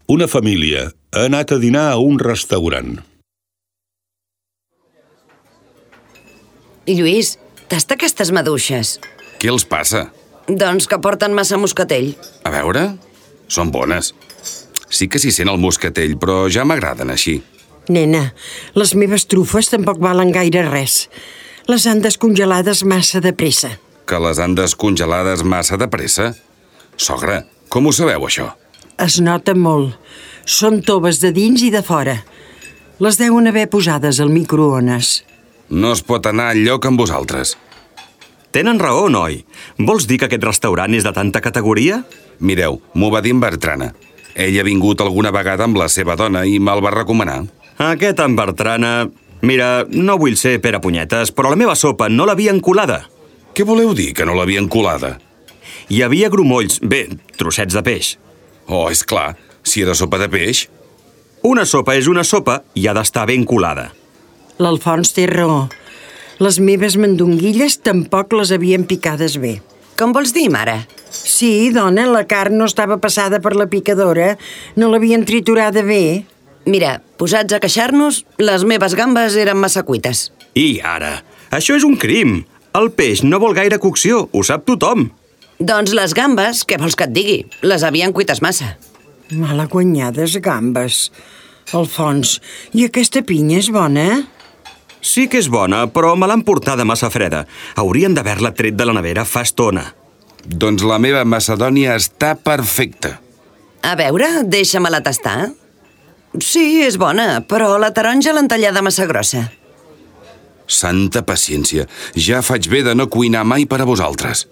Una família ha anat a dinar a un restaurant. Lluís, tasta aquestes maduixes. Què els passa? Doncs que porten massa moscatell. A veure, són bones. Sí que s'hi sent el moscatell, però ja m'agraden així. Nena, les meves trufes tampoc valen gaire res. Les han descongelades massa de pressa. Que les han descongelades massa de pressa? Sogra, com ho sabeu, això? Es nota molt. Són toves de dins i de fora. Les deuen haver posades al microones. No es pot anar enlloc amb vosaltres. Tenen raó, noi. Vols dir que aquest restaurant és de tanta categoria? Mireu, m'ho va dir en Bertrana. Ell ha vingut alguna vegada amb la seva dona i me'l va recomanar. Aquest en Bertrana... Mira, no vull ser pere punyetes, però la meva sopa no l'havien colada. Què voleu dir, que no l'havien colada? Hi havia grumolls, bé, trossets de peix. Oh, és clar, si era sopa de peix. Una sopa és una sopa i ha d'estar ben colada. L'Alfons té raó. Les meves mandonguilles tampoc les havien picades bé. Com vols dir, mare? Sí, dona, la carn no estava passada per la picadora. No l'havien triturada bé. Mira, posats a queixar-nos, les meves gambes eren massa cuites. I ara? Això és un crim. El peix no vol gaire cocció, ho sap tothom. Doncs les gambes, què vols que et digui? Les havien cuites massa. Malaguanyades gambes. Alfons, i aquesta pinya és bona? Sí que és bona, però me l'han portada massa freda. Haurien d'haver-la tret de la nevera fa estona. Doncs la meva macedònia està perfecta. A veure, deixa-me-la tastar. Sí, és bona, però la taronja l'han tallada massa grossa. Santa paciència, ja faig bé de no cuinar mai per a vosaltres.